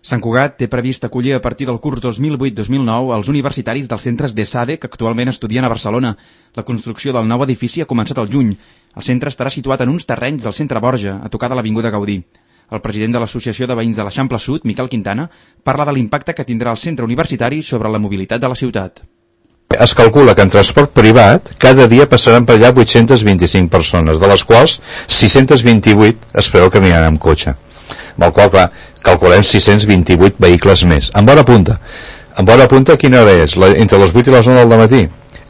Sant Cugat té previst acollir a partir del curs 2008-2009 els universitaris dels centres d'ESADE que actualment estudien a Barcelona. La construcció del nou edifici ha començat al juny. El centre estarà situat en uns terrenys del centre Borja, a tocar de l'Avinguda Gaudí. El president de l'Associació de Veïns de l'Eixample Sud, Miquel Quintana, parla de l'impacte que tindrà el centre universitari sobre la mobilitat de la ciutat. Es calcula que en transport privat cada dia passaran per allà 825 persones, de les quals 628 es preveu que aniran amb cotxe. Amb el qual, clar, calculem 628 vehicles més. En bona punta. En bona punta, quina hora és? Entre les 8 i les 9 del matí.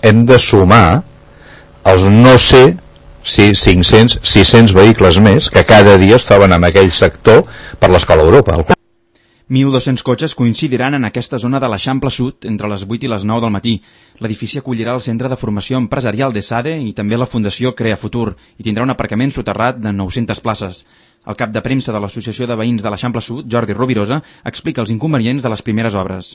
Hem de sumar els no sé si 500, 600 vehicles més que cada dia es troben en aquell sector per l'Escola Europa. 1.200 cotxes coincidiran en aquesta zona de l'Eixample Sud entre les 8 i les 9 del matí. L'edifici acollirà el Centre de Formació Empresarial d'ESADE i també la Fundació Crea Futur i tindrà un aparcament soterrat de 900 places. El cap de premsa de l'Associació de Veïns de l'Eixample Sud, Jordi Rovirosa, explica els inconvenients de les primeres obres.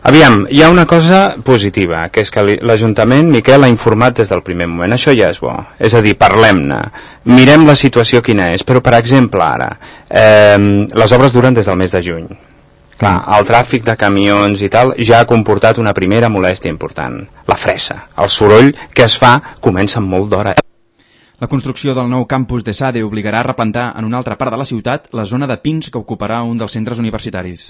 Aviam, hi ha una cosa positiva, que és que l'Ajuntament, Miquel, ha informat des del primer moment. Això ja és bo. És a dir, parlem-ne, mirem la situació quina és, però, per exemple, ara, les obres duren des del mes de juny. Clar, el tràfic de camions i tal ja ha comportat una primera molèstia important. La fressa, el soroll que es fa comença amb molt d'hora. La construcció del nou campus d'ESADE obligarà a replantar en una altra part de la ciutat la zona de pins que ocuparà un dels centres universitaris.